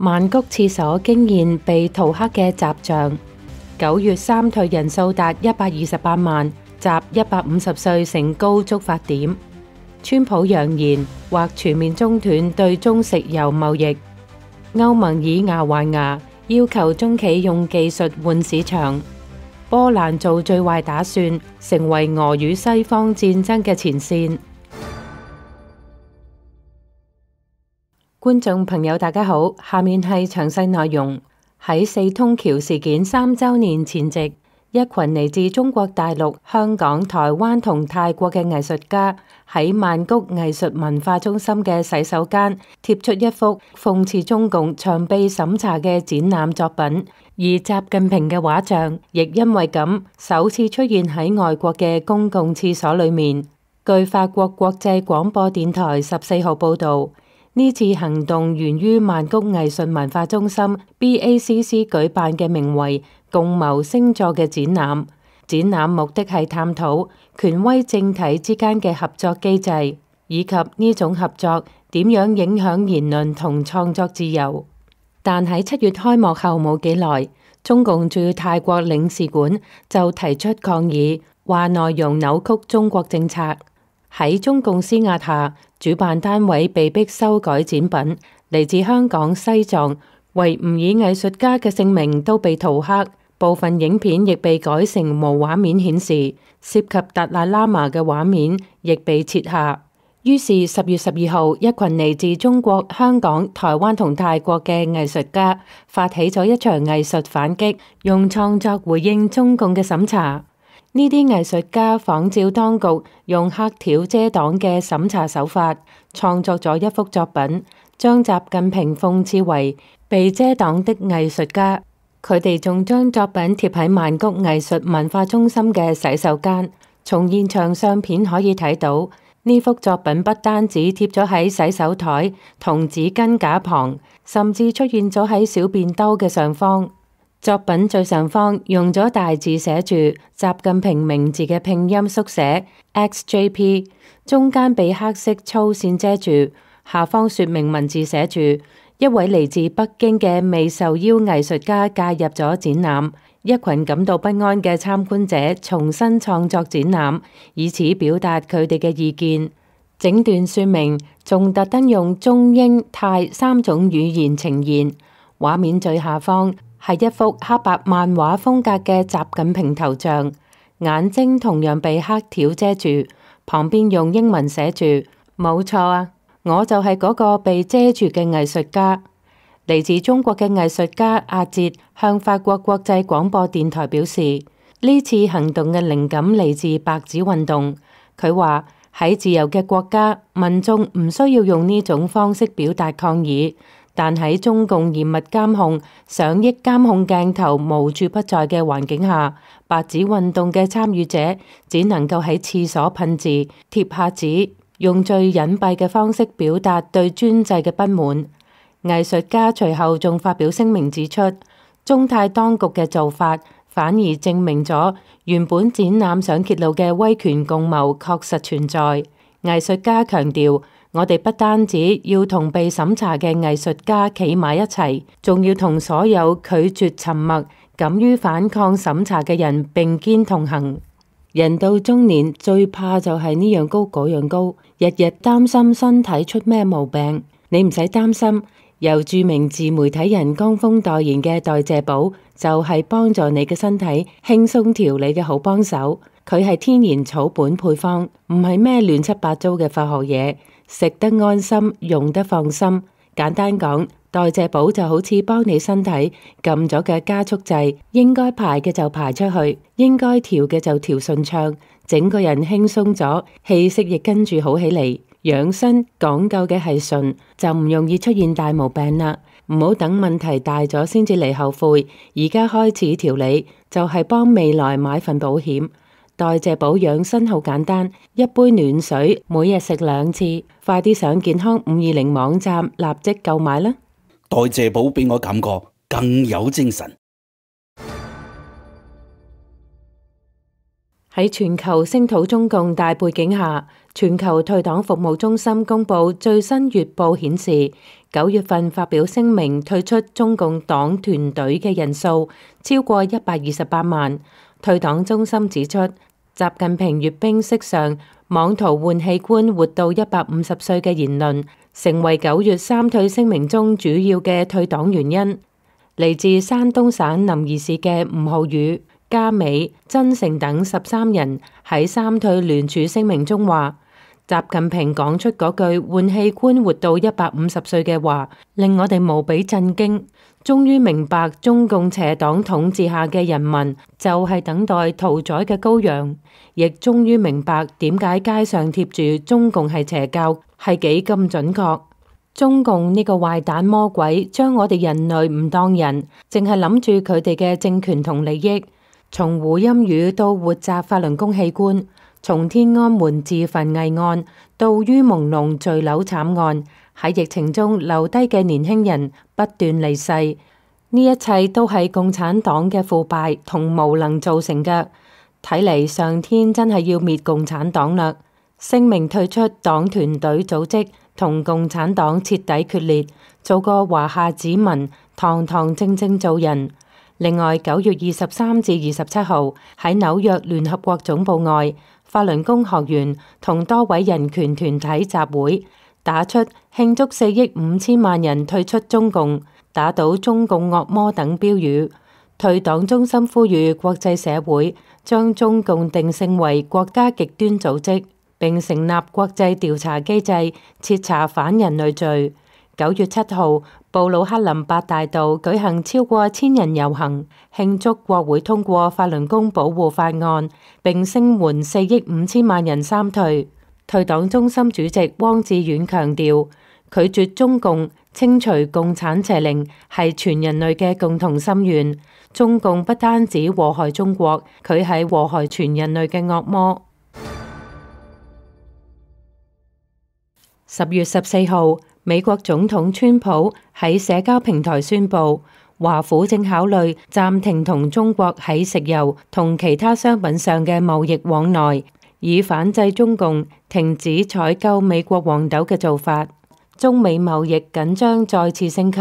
曼谷廁所驚現被塗黑嘅雜像。9月三退人數達128萬，集150歲成高觸發點。川普揚言或全面中斷對中石油貿易。歐盟以牙還牙，要求中企用技術換市場。波蘭做最壞打算，成為俄與西方戰爭嘅前線。觀眾朋友大家好，下面係詳細內容。喺四通橋事件3週年前夕，一群嚟自中國大陸、香港、台灣同泰國嘅藝術家喺曼谷藝術文化中心嘅洗手間貼出一幅諷刺中共長被審查嘅展覽作品，而習近平嘅畫像亦因為咁首次出現喺外國嘅公共廁所裏面。據法國國際廣播電台14號報導，呢次行動源於曼谷藝術文化中心 BACC 舉辦嘅名為共謀星座嘅展覽。展覽目的係探討權威政體之間嘅合作機制，以及呢種合作點樣影響言論同創作自由。但喺7月開幕後冇幾耐，中共駐泰國領事館就提出抗議，話內容扭曲中國政策。喺中共施壓下，主辦單位被迫修改展品。嚟自香港、西藏、維吾爾藝術家嘅姓名都被塗黑，部分影片亦被改成無畫面顯示，涉及達賴喇嘛嘅畫面亦被撤下。於是10月12號，一群嚟自中國、香港、台灣同泰國嘅藝術家發起咗一場藝術反擊，用創作回應中共嘅審查。呢啲藝術家仿照當局用黑條遮擋嘅審查手法，創作咗一幅作品，將習近平諷刺為被遮擋的藝術家。佢哋仲將作品貼喺曼谷藝術文化中心嘅洗手間。從現場相片可以睇到，呢幅作品不單止貼咗喺洗手台同紙巾架旁，甚至出現咗喺小便兜嘅上方。作品最上方用咗大字寫住習近平名字嘅拼音縮寫 XJP， 中間被黑色粗線遮住，下方說明文字寫住一位嚟自北京嘅未受邀藝術家介入咗展覽，一群感到不安嘅參觀者重新創作展覽，以此表達佢哋嘅意見。整段說明仲特登用中英泰3種語言呈現。畫面最下方係一幅黑白漫畫風格嘅習近平頭像，眼睛同樣被黑條遮住，旁邊用英文寫住冇錯啊，我就係嗰個被遮住嘅藝術家。嚟自中國嘅藝術家阿哲向法國國際廣播電台表示，呢次行動嘅靈感嚟自白紙運動。佢話喺自由嘅國家，民眾唔需要用呢種方式表達抗議。但喺中共嚴密監控、上億監控鏡頭無處不在嘅環境下，白紙運動嘅參與者只能夠喺廁所噴字、貼下紙，用最隱蔽嘅方式表達對專制嘅不滿。藝術家隨後仲發表聲明指出，中泰當局嘅做法反而證明咗原本展覽想揭露嘅威權共謀確實存在。藝術家強調，我哋不單止要同被審查嘅藝術家企埋一齊，仲要同所有拒絕沉默、敢於反抗審查嘅人並肩同行。人到中年最怕就係呢樣高嗰樣高，日日擔心身體出咩毛病。你唔使擔心，由著名自媒體人江峰代言嘅代謝寶就係幫助你嘅身體輕鬆調理嘅好幫手。佢係天然草本配方，唔係咩亂七八糟嘅化學嘢。食得安心，用得放心。簡單講，代謝寶就好似幫你身體撳咗嘅加速掣，應該排嘅就排出去，應該調嘅就調順暢，整個人輕鬆咗，氣息亦跟住好起嚟。養生講究嘅係順，就唔容易出現大毛病啦。唔好等問題大咗先至嚟後悔，而家開始調理，就係幫未來買份保險。代謝寶養生好簡單，一杯暖水，每日食2次。快啲上健康520網站立即購買啦！代謝寶俾我感覺更有精神。喺全球聲討中共大背景下，全球退黨服務中心公佈最新月報顯示，9月份發表聲明退出中共黨團隊嘅人數超過128萬。退黨中心指出，習近平閱兵式上妄圖換器官活到150歲嘅言論，成為9月三退聲明中主要嘅退黨原因。嚟自山東省臨沂市嘅吳浩宇、嘉美、曾誠等13人喺三退聯署聲明中話，習近平講出嗰句換器官活到150歲嘅話，令我哋無比震驚。終於明白中共邪黨統治下嘅人民就係等待屠宰嘅羔羊，亦終於明白點解街上貼住中共係邪教係幾咁準確。中共呢個壞蛋魔鬼將我哋人類唔當人，淨係諗住佢哋嘅政權同利益。從胡鑫宇到活摘法輪功器官，從天安門自焚偽案到於朦朧墜樓慘案，喺疫情中留低嘅年輕人不斷離世，呢一切都係共產黨嘅腐敗同無能造成嘅。睇嚟上天真係要滅共產黨啦！聲明退出黨團隊組織，同共產黨徹底決裂，做個華夏子民，堂堂正正做人。另外，9月23至27號喺紐約聯合國總部外，法輪功學員同多位人權團體集會，打出慶祝4億5千萬人退出中共、打倒中共惡魔等標語。退黨中心呼籲國際社會將中共定性為國家極端組織，並成立國際調查機制，徹查反人類罪。9月7號，布魯克林八大道舉行超過1000人遊行，慶祝國會通過法輪功保護法案，並聲援4億5千萬人三退。退黨中心主席汪志遠強調，拒絕中共、清除共產邪靈係全人類嘅共同心願。中共不單止禍害中國，佢係禍害全人類嘅惡魔。10月14號，美國總統川普喺社交平台宣布，華府正考慮暫停同中國喺食油同其他商品上嘅貿易往來，以反制中共停止採購美國黃豆嘅做法。中美貿易緊張再次升級。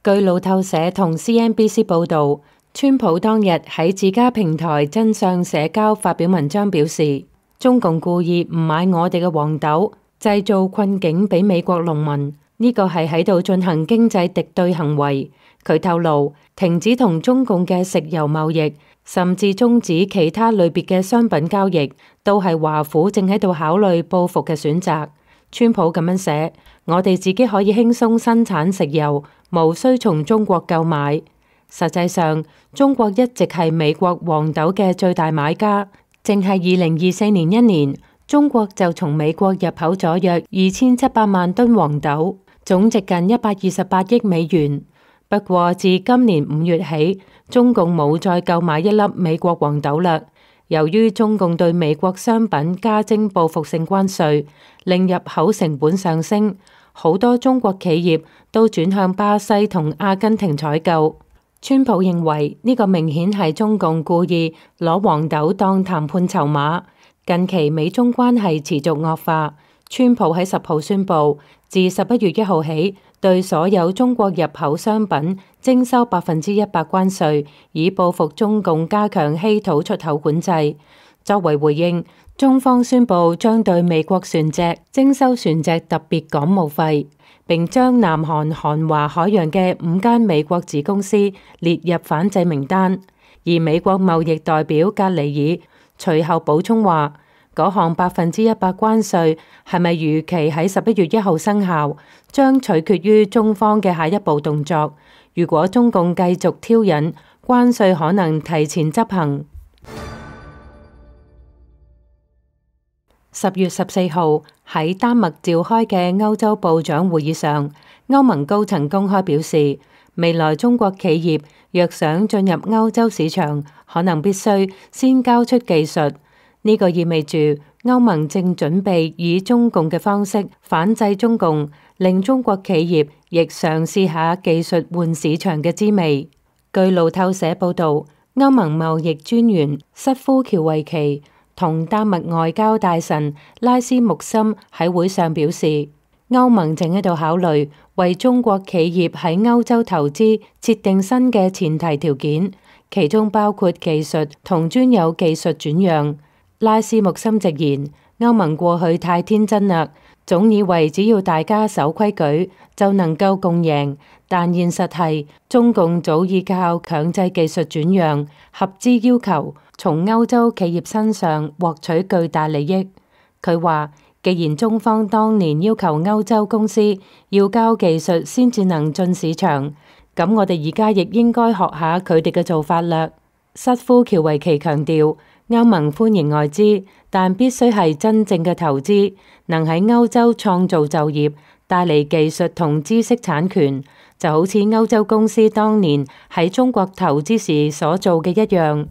據路透社同 CNBC 報導，川普當日喺自家平台真相社交發表文章表示，中共故意唔買我哋嘅黃豆，製造困境俾美國農民，呢個係喺度進行經濟敵對行為。佢透露，停止同中共嘅食油貿易，甚至終止其他類別嘅商品交易，都係華府正喺度考慮報復嘅選擇。川普咁樣寫：我哋自己可以輕鬆生產食油，無需從中國購買。實際上，中國一直係美國黃豆嘅最大買家，淨係2024年一年，中國就從美國入口咗約2700萬噸黃豆，總值近128億美元。不過自今年5月起，中共冇再購買一粒美國黃豆啦。由於中共對美國商品加徵報復性關稅，令入口成本上升，好多中國企業都轉向巴西同阿根廷採購。川普認為呢個明顯係中共故意攞黃豆當談判籌碼。近期美中關係持續惡化，川普喺10號宣布，自11月1號起，對所有中國入口商品徵收100%關稅，以報復中共加強稀土出口管制。作為回應，中方宣布將對美國船隻徵收船隻特別港務費，並將南韓韓華海洋嘅5間美國子公司列入反制名單。而美國貿易代表格里爾隨後補充話，嗰項100%關稅係咪如期喺11月1號生效，將取決於中方嘅下一步動作。如果中共繼續挑釁，關稅可能提前執行。10月14號喺丹麥召開嘅歐洲部長會議上，歐盟高層公開表示，未來中國企業若想進入歐洲市場，可能必須先交出技術。呢個意味住歐盟正準備以中共嘅方式反制中共，令中國企業亦嘗試下技術換市場嘅滋味。據路透社報導，歐盟貿易專員瑟夫喬維奇同丹麥外交大臣拉斯穆森喺會上表示，歐盟正喺度考慮為中國企業喺歐洲投資設定新嘅前提條件，其中包括技術同專有技術轉讓。拉斯穆森直言，歐盟過去太天真啦，總以為只要大家守規矩就能夠共贏，但現實係中共早已靠強制技術轉讓、合資要求，從歐洲企業身上獲取巨大利益。佢話，既然中方當年要求歐洲公司要交技術先至能進市場，咁我哋而家亦應該學下佢哋嘅做法啦。瑟夫喬維奇強調，歐盟歡迎外資，但必須係真正嘅投資，能喺歐洲創造就業，帶嚟技術同知識產權，就好似歐洲公司當年喺中國投資時所做嘅一樣。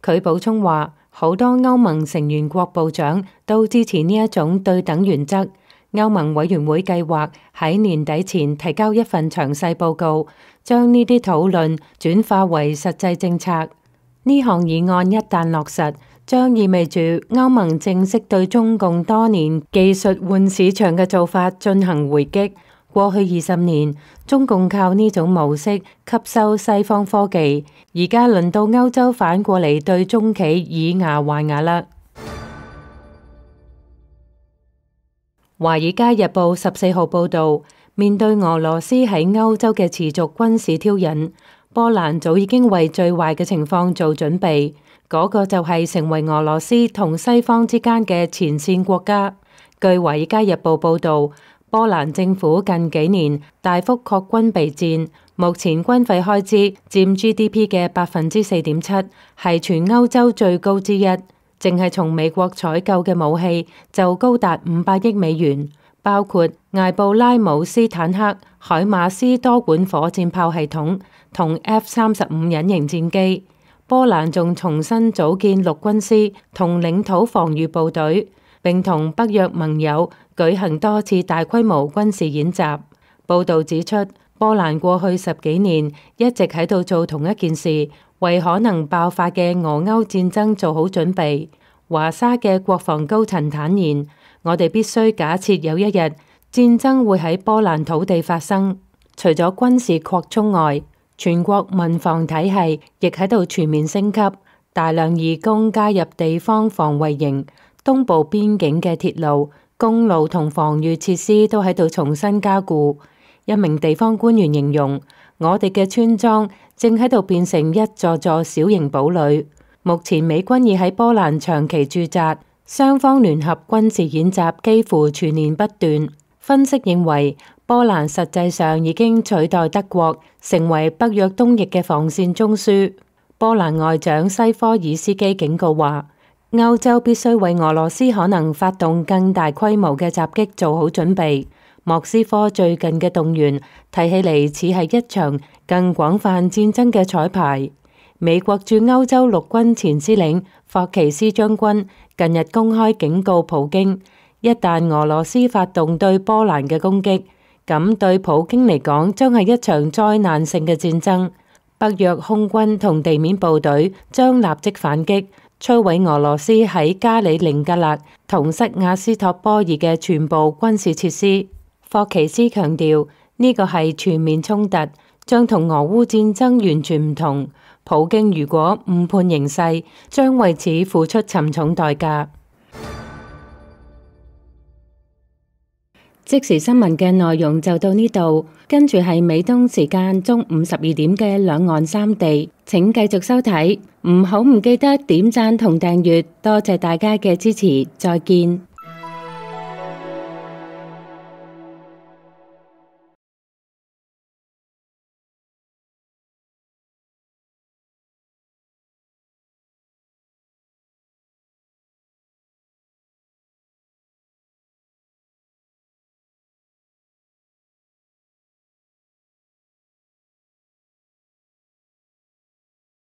佢補充話，好多歐盟成員國部長都支持呢一種對等原則。歐盟委員會計劃喺年底前提交一份詳細報告，將呢啲討論轉化為實際政策。呢項議案一旦落實，將意味住歐盟正式對中共多年技術換市場嘅做法進行回擊。過去20年，中共靠呢種模式吸收西方科技，而家輪到歐洲反過嚟對中企以牙還牙啦。《華爾街日報》14號報導，面對俄羅斯喺歐洲嘅持續軍事挑釁，波蘭早已經為最壞嘅情況做準備，嗰個就係成為俄羅斯同西方之間嘅前線國家。據《華爾街日報》報導，波蘭政府近幾年大幅擴軍備戰，目前軍費開支佔 GDP 嘅4.7%，係全歐洲最高之一。淨係從美國採購嘅武器就高達500億美元，包括艾布拉姆斯坦克、海馬斯多管火箭炮系統同 F-35隱形戰機。波蘭仲重新組建陸軍師同領土防禦部隊，並同北約盟友舉行多次大規模軍事演習。報導指出，波蘭過去10幾年一直喺度做同一件事，為可能爆發嘅俄歐戰爭做好準備。華沙嘅國防高層坦言，我哋必須假設有一日戰爭會喺波蘭土地發生。除咗軍事擴充外，全國民防體系亦喺度全面升級，大量義工加入地方防衛營，東部邊境嘅鐵路、公路同防禦設施都喺度重新加固。一名地方官員形容，我哋嘅村莊正喺度變成一座座小型堡壘。目前美軍已喺波蘭長期駐紮，雙方聯合軍事演習幾乎全年不斷。分析認為，波蘭實際上已經取代德國，成為北約東翼嘅防線中樞。波蘭外長西科爾斯基警告話，歐洲必須為俄羅斯可能發動更大規模嘅襲擊做好準備。莫斯科最近嘅動員睇起嚟似係一場更廣泛戰爭嘅彩排。美國駐歐洲陸軍前司令霍奇斯將軍近日公開警告普京，一旦俄羅斯發動對波蘭嘅攻擊，咁對普京嚟講將係一場災難性嘅戰爭。北約空軍同地面部隊將立即反擊，摧毀俄羅斯喺加里寧格勒同塞瓦斯托波爾嘅全部軍事設施。霍奇斯強調，呢個係全面衝突，將同俄烏戰爭完全唔同。普京如果誤判形勢，將為此付出沉重代價。即時新聞嘅內容就到呢度，跟住係美東時間中午12點嘅兩岸三地，請繼續收睇，唔記得點讚同訂閱，多謝大家嘅支持，再見。